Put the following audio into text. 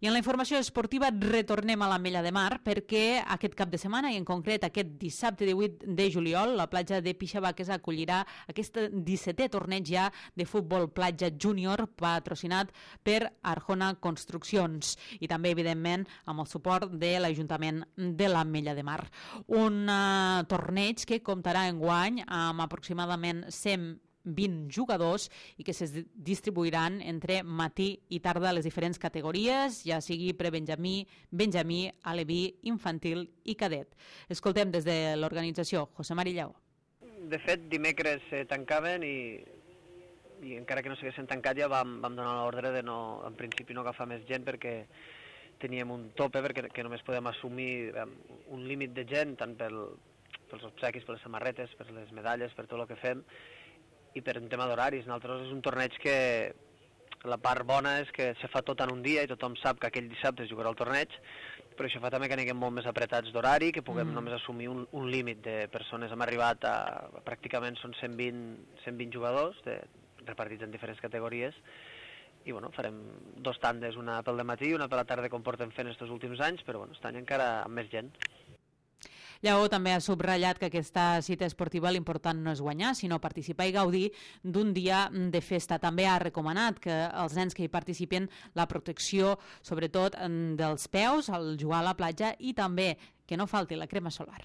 I en la informació esportiva retornem a l'Ametlla de Mar perquè aquest cap de setmana i en concret aquest dissabte 18 de juliol la platja de Pixabaques acollirà aquest 17è torneig ja de futbol platja júnior patrocinat per Arjona Construccions i també evidentment amb el suport de l'Ajuntament de l'Ametlla de Mar. Un torneig que comptarà enguany amb aproximadament 120 jugadors i que se distribuiran entre matí i tarda a les diferents categories, ja sigui prebenjamí, benjamí, aleví, infantil i cadet. Escoltem des de l'organització José Mari Lleó. De fet, dimecres tancaven i encara que no s'haguessin tancat ja vam donar l'ordre de no, en principi no agafar més gent perquè teníem un tope, perquè només podem assumir un límit de gent tant pels obsequis, per les samarretes, per les medalles, per tot el que fem, i per un tema d'horaris. Nosaltres és un torneig que la part bona és que se fa tot en un dia i tothom sap que aquell dissabte es jugarà el torneig, però això fa també que anem molt més apretats d'horari, que puguem només assumir un límit de persones. Hem arribat a pràcticament són 120 jugadors repartits en diferents categories i bueno, farem 2 tandes, una pel dematí i una per la tarda com portem fent estos últims anys, però bueno, aquest any encara amb més gent. Lleó també ha subratllat que aquesta cita esportiva l'important no és guanyar, sinó participar i gaudir d'un dia de festa. També ha recomanat que els nens que hi participen la protecció, sobretot dels peus, al jugar a la platja i també que no falti la crema solar.